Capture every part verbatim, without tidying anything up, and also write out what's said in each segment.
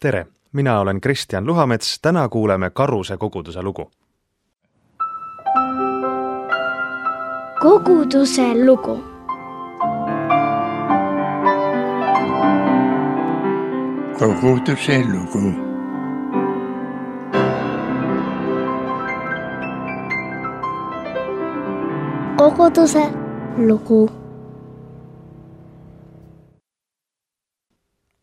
Tere, mina olen Kristjan Luhamets, täna kuuleme Karuse koguduse lugu. Koguduse lugu. Koguduse lugu. Koguduse lugu.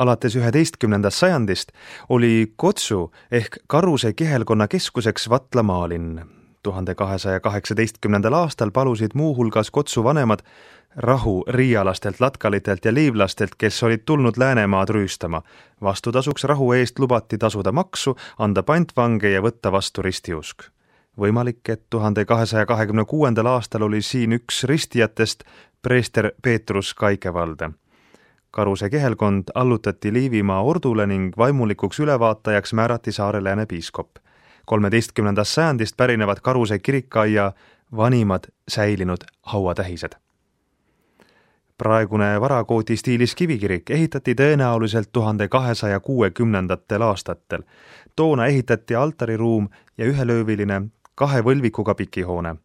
Alates üheteistkümnendast sajandist oli Kotsu ehk Karuse kihelkonna keskuseks Vatla maalinn. tuhande kahesaja kaheksateistkümnendal aastal palusid muuhulgas Kotsu vanemad rahu riialastelt, latkalitelt ja liivlastelt, kes olid tulnud Läänemaad rüüstama. Vastutasuks rahu eest lubati tasuda maksu, anda pantvange ja võtta vastu ristiusk. Võimalik, et tuhande kahesaja kahekümne kuuendal aastal oli siin üks ristijatest preester Peetrus Kaikevalde. Karuse kihelkond allutati Liivimaa ordule ning vaimulikuks ülevaatajaks määrati Saare Lääne piiskop. kolmeteistkümnendast sajandist pärinevad Karuse kirikaia vanimad säilinud hauatähised. Praegune varakooti stiilis kivikirik ehitati tõenäoliselt tuhande kahesaja kuuekümnendatel aastatel. Toona ehitati altariruum ja ühelööviline kahe võlvikuga pikihoone.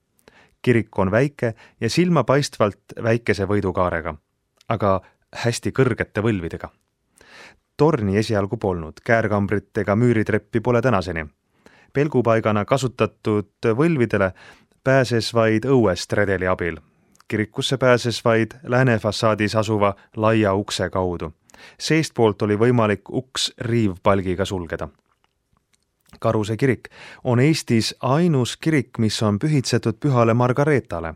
Kirik on väike ja silmapaistvalt väikese võidukaarega, aga hästi kõrgete võlvidega. Torni esialgu polnud, käärkambrit ega müüritreppi pole tänaseni. Pelgupaigana kasutatud võlvidele pääses vaid õuest redeli abil. Kirikusse pääses vaid lääne fassaadis asuva laia ukse kaudu. Seestpoolt oli võimalik uks riivpalgiga sulgeda. Karuse kirik on Eestis ainus kirik, mis on pühitsetud pühale Margareetale.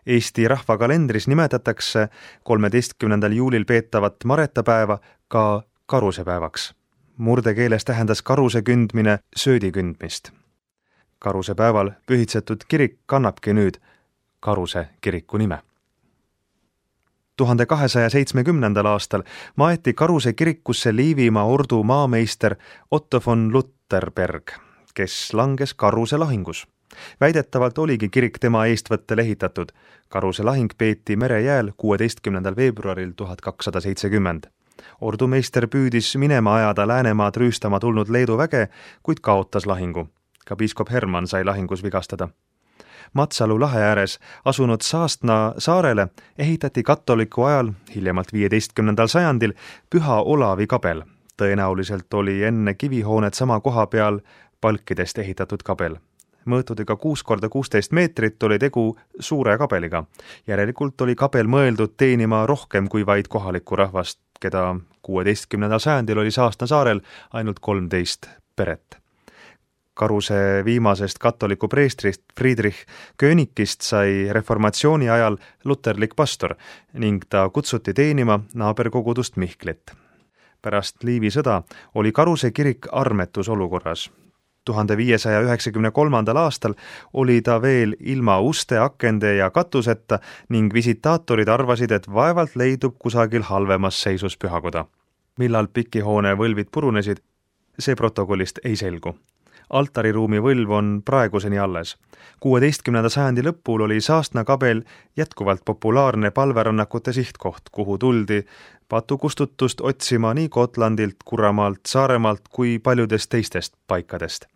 Eesti rahvakalendris nimetatakse kolmeteistkümnendal juulil peetavat maretapäeva ka karusepäevaks. Murdekeeles tähendas karuse kündmine söödi kündmist. Karusepäeval pühitsetud kirik kannabki nüüd Karuse kiriku nime. tuhande kahesaja seitsmekümnendal aastal maeti Karuse kirikusse Liivimaa ordu maameister Otto von Lutterberg, kes langes Karuse lahingus. Väidetavalt oligi kirik tema eestvõttel ehitatud. Karuse lahing peeti merejääl kuueteistkümnendal veebruaril tuhat kakssada seitsekümmend. Ordumeister püüdis minema ajada Läänemaad rüüstama tulnud Leedu väge, kuid kaotas lahingu. Ka piiskop Herman sai lahingus vigastada. Matsalu lahe ääres asunud Saastna saarele ehitati katoliku ajal, hiljemalt viieteistkümnendal sajandil, Püha Olavi kabel. Tõenäoliselt oli enne kivihoonet sama koha peal palkidest ehitatud kabel. Mõõtudega kuus korda kuusteist meetrit oli tegu suure kabeliga. Järelikult oli kabel mõeldud teenima rohkem kui vaid kohalikku rahvast, keda kuueteistkümnendal sajandil oli Saastna saarel ainult kolmteist peret. Karuse viimasest katoliku preestrist Friedrich Könikist sai reformatsiooni ajal luterlik pastor ning ta kutsuti teenima naaberkogudust Mihklit. Pärast Liivi sõda oli Karuse kirik armetus olukorras. tuhande viiesaja üheksakümne kolmandal aastal oli ta veel ilma uste, akende ja katuseta ning visitaatorid arvasid, et vaevalt leidub kusagil halvemas seisus pühakoda. Millal pikihoone võlvid purunesid, see protokollist ei selgu. Altariruumi võlv on praeguseni alles. kuueteistkümnenda sajandi lõpul oli Saastna kabel jätkuvalt populaarne palverännakute sihtkoht, kuhu tuldi patukustutust otsima nii Gotlandilt, Kuramaalt, Saaremaalt kui paljudest teistest paikadest.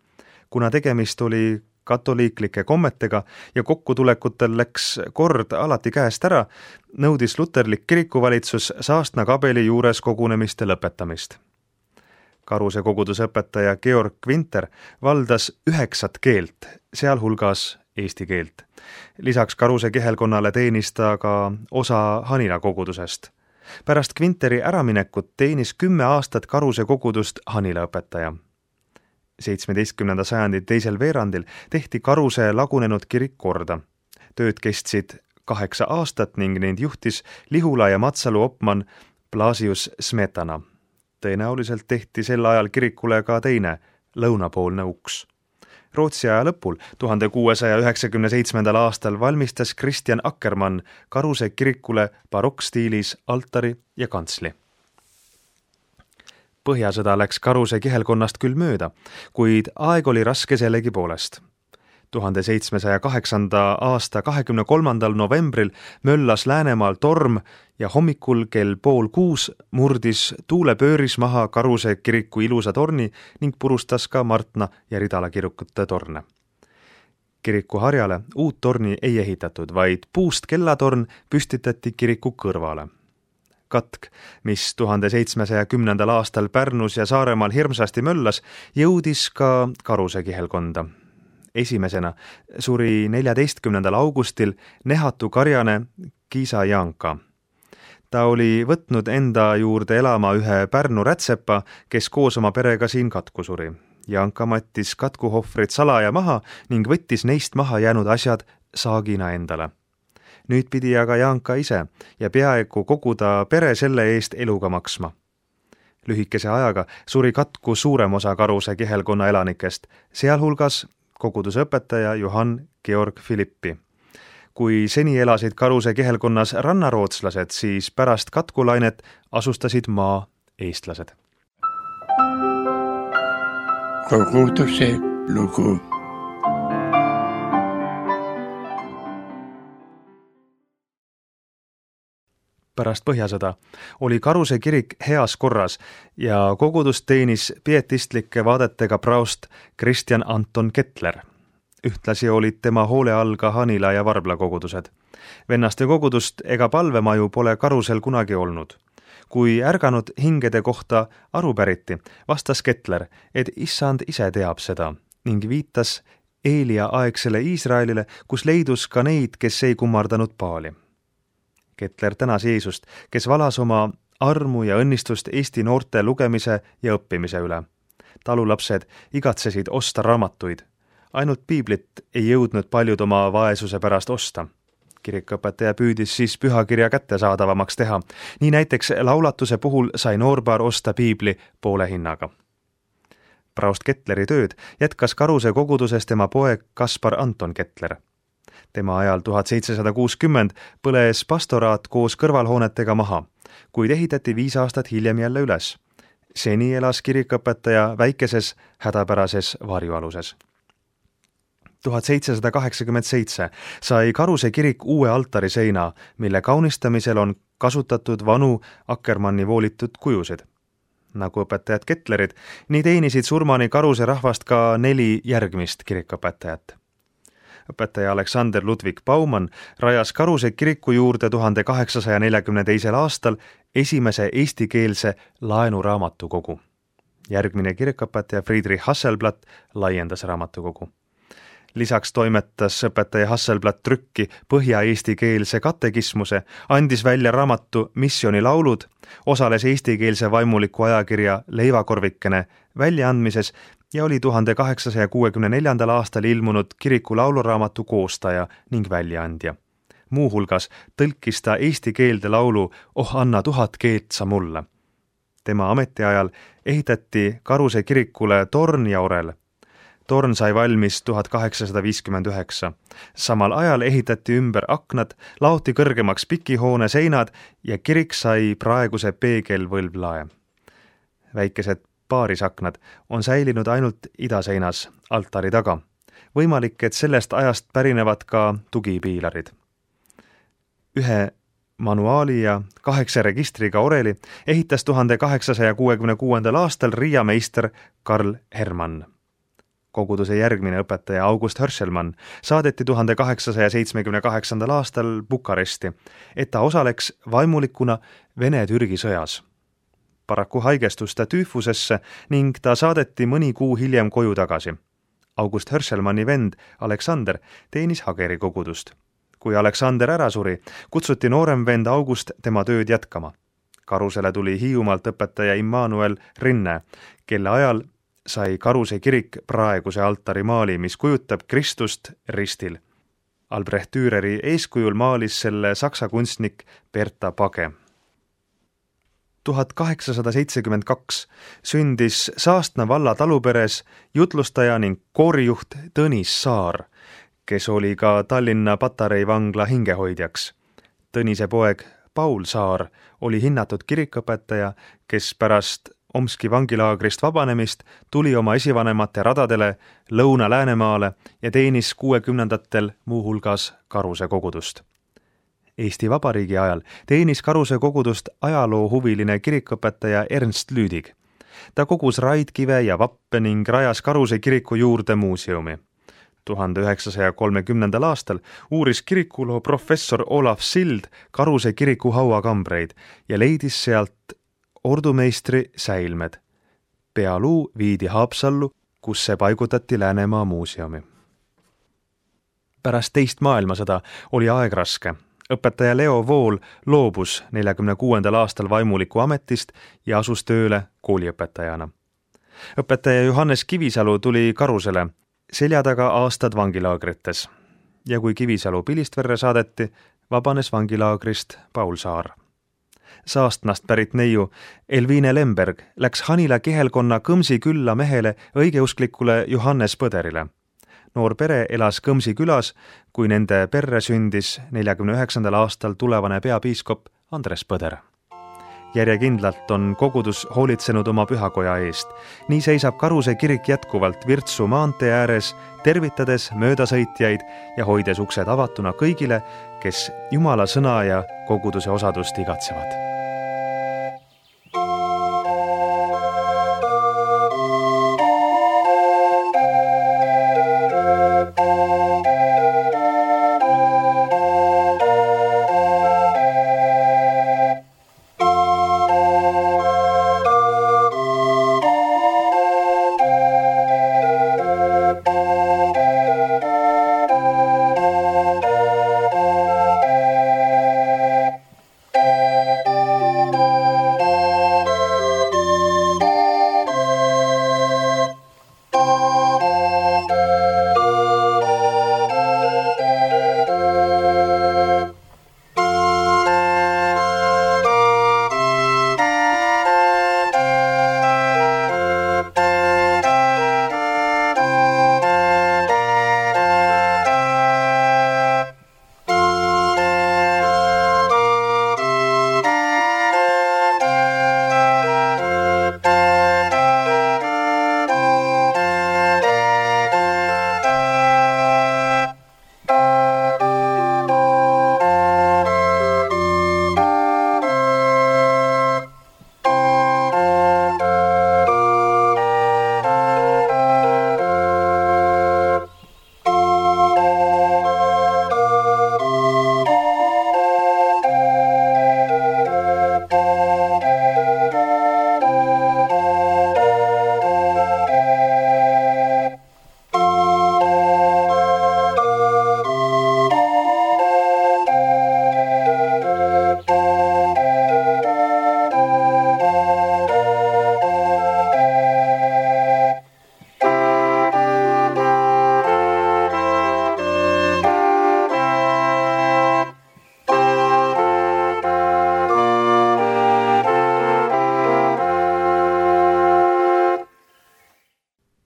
Kuna tegemist oli katoliiklike kommetega ja kokkutulekutel läks kord alati käest ära, nõudis luterlik kirikuvalitsus Saastna kabeli juures kogunemiste lõpetamist. Karuse koguduse õpetaja Georg Winter valdas üheksat keelt, sealhulgas eesti keelt. Lisaks Karuse kihelkonnale teenis ta ka osa Hanila kogudusest. Pärast Quinteri äraminekut teenis kümme aastat Karuse kogudust Hanila õpetaja. seitsmeteistkümnenda sajandi teisel veerandil tehti Karuse lagunenud kirik korda. Tööd kestsid kaheksa aastat ning neid juhtis Lihula ja Matsalu opman Blasius Smetana. Tõenäoliselt tehti sel ajal kirikule ka teine, lõunapoolne uks. Rootsi aja lõpul, tuhande kuuesaja üheksakümne seitsmendal aastal valmistas Kristjan Akkermann Karuse kirikule barokkstiilis altari ja kantsli. Põhjasõda läks Karuse kihelkonnast küll mööda, kuid aeg oli raske sellegi poolest. tuhande seitsmesaja kaheksanda aasta kahekümne kolmandal novembril möllas Läänemaal torm ja hommikul kell pool kuus murdis tuulepööris maha Karuse kiriku ilusa torni ning purustas ka Martna ja Ridala kirikute torne. Kiriku harjale uut torni ei ehitatud, vaid puust kellatorn püstitati kiriku kõrvale. Katk, mis tuhande seitsmesaja kümnendal aastal Pärnus ja Saaremaal hirmsasti möllas, jõudis ka Karuse kihelkonda. Esimesena suri neljateistkümnendal augustil nehatu karjane Kiisa Jaanka. Ta oli võtnud enda juurde elama ühe Pärnu rätsepa, kes koos oma perega siin katku suri. Jaanka mattis katkuhohvrid salaja maha ning võttis neist maha jäänud asjad saagina endale. Nüüd pidi aga Jaanka ise ja peaaegu kogu ta pere selle eest eluga maksma. Lühikese ajaga suri katku suurem osa Karuse kihelkonna elanikest, sealhulgas koguduse õpetaja Johann Georg Philippi. Kui seni elasid Karuse kihelkonnas rannarootslased, siis pärast katkulainet asustasid maa eestlased. Koguduse lugu. Pärast Põhjasõda oli Karuse kirik heas korras ja kogudust teenis pietistlike vaadetega praost Kristjan Anton Kettler. Ühtlasi olid tema hoole all ka Hanila ja Varbla kogudused. Vennaste kogudust ega palvemaju pole Karusel kunagi olnud. Kui ärganud hingede kohta aru päriti, vastas Kettler, et issand ise teab seda ning viitas Eelia aegsele Iisraelile, kus leidus ka neid, kes ei kummardanud paali. Kettler tänas Jeesust, kes valas oma armu ja õnnistust Eesti noorte lugemise ja õppimise üle. Talulapsed igatsesid osta raamatuid. Ainult piiblit ei jõudnud paljud oma vaesuse pärast osta. Kirikõpetaja püüdis siis pühakirja kättesaadavamaks teha. Nii näiteks laulatuse puhul sai noorpaar osta piibli poole hinnaga. Praost Kettleri tööd jätkas Karuse koguduses tema poeg Kaspar Anton Kettler. Tema ajal tuhat seitsesada kuuskümmend põles pastoraat koos kõrvalhoonetega maha, kuid ehitati viis aastat hiljem jälle üles. Seni elas kirikõpetaja väikeses hädapärases varjualuses. tuhat seitsesada kaheksakümmend seitse sai Karuse kirik uue altariseina, mille kaunistamisel on kasutatud vanu Akkermanni voolitud kujusid. Nagu õpetajad Kettlerid, nii teenisid surmani Karuse rahvast ka neli järgmist kirikõpetajat. Õpetaja Aleksander Ludvig Baumann rajas Karuse kiriku juurde tuhande kaheksasaja neljakümne teisel aastal esimese eestikeelse laenuraamatukogu. Järgmine kirikõpetaja Friedrich Hasselblatt laiendas raamatukogu. Lisaks toimetas õpetaja Hasselblatt trükki põhja-eestikeelse katekismuse, andis välja raamatu Missionilaulud, osales eestikeelse vaimuliku ajakirja Leivakorvikene väljaandmises ja oli tuhande kaheksasaja kuuekümne neljandal aastal ilmunud kiriku lauluraamatu koostaja ning väljaandja. Muuhulgas tõlkis ta eesti keelde laulu Oh anna tuhat keelt sa mulle. Tema ametiajal ehitati Karuse kirikule torn ja orel. Torn sai valmis tuhat kaheksasada viiskümmend üheksa. Samal ajal ehitati ümber aknad, laoti kõrgemaks pikihoone seinad ja kirik sai praeguse peegelvõlvlae. Väikesed paarisaknad on säilinud ainult idaseinas altari taga. Võimalik, et sellest ajast pärinevad ka tugipiilarid. Ühe manuaali ja kaheksa registriga oreli ehitas tuhande kaheksasaja kuuekümne kuuendal aastal Riia meister Karl Hermann. Koguduse järgmine õpetaja August Hörselmann saadeti tuhande kaheksasaja seitsmekümne kaheksandal aastal Bukaresti, et ta osaleks vaimulikuna Vene-Türgi sõjas. Paraku haigestus ta tüüfusesse ning ta saadeti mõni kuu hiljem koju tagasi. August Hörselmanni vend Aleksander teenis Hageri kogudust. Kui Aleksander ära suri, kutsuti noorem vend August tema tööd jätkama. Karusele tuli Hiiumaalt õpetaja Immanuel Rinne, kelle ajal sai Karuse kirik praeguse altari maali, mis kujutab Kristust ristil. Albrecht Düreri eeskujul maalis selle saksa kunstnik Berta Page. tuhat kaheksasada seitsekümmend kaks sündis Saastna valla taluperes jutlustaja ning koorijuht Tõnis Saar, kes oli ka Tallinna Patarei vangla hingehoidjaks. Tõnise poeg Paul Saar oli hinnatud kirikõpetaja, kes pärast Omski vangilaagrist vabanemist, tuli oma esivanemate radadele Lõuna-Läänemaale ja teenis kuuekümnendatel muuhulgas Karuse kogudust. Eesti Vabariigi ajal teenis Karuse kogudust ajaloohuviline kirikõpetaja Ernst Lüüdig. Ta kogus raidkive ja vappe ning rajas Karuse kiriku juurde muuseumi. tuhande üheksasaja kolmekümnendal aastal uuris kirikuloo professor Olav Sild Karuse kiriku hauakambreid ja leidis sealt ordumeistri säilmed. Pealuu viidi Haapsallu, kus see paigutati Läänemaa muuseumi. Pärast teist maailmasõda oli aeg raske. Õpetaja Leo Vool loobus neljakümne kuuendal aastal vaimuliku ametist ja asus tööle kooliõpetajana. Õpetaja Johannes Kivisalu tuli Karusele, selja taga aastad vangilaagrites. Ja kui Kivisalu Pilistverre saadeti, vabanes vangilaagrist Paul Saar. Saastnast pärit neiu Elvine Lemberg läks Hanila Kihelkonna Kõmsi külla mehele õigeusklikule Johannes Põderile. Noor pere elas Kõmsi külas, kui nende perre sündis neljakümne üheksandal aastal tulevane peapiiskop Andres Põder. Järjekindlalt on kogudus hoolitsenud oma pühakoja eest. Nii seisab Karuse kirik jätkuvalt Virtsu maantee ääres, tervitades möödasõitjaid ja hoides uksed avatuna kõigile, kes Jumala sõna ja koguduse osadust igatsevad.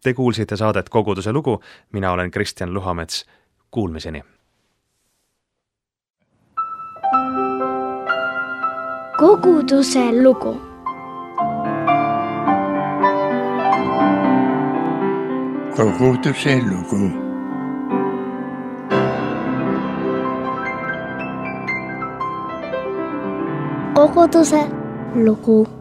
Te kuulsite saadet Koguduse lugu, mina olen Kristjan Luhamets. Kuulmiseni! Koguduse lugu. Koguduse lugu. Koguduse lugu.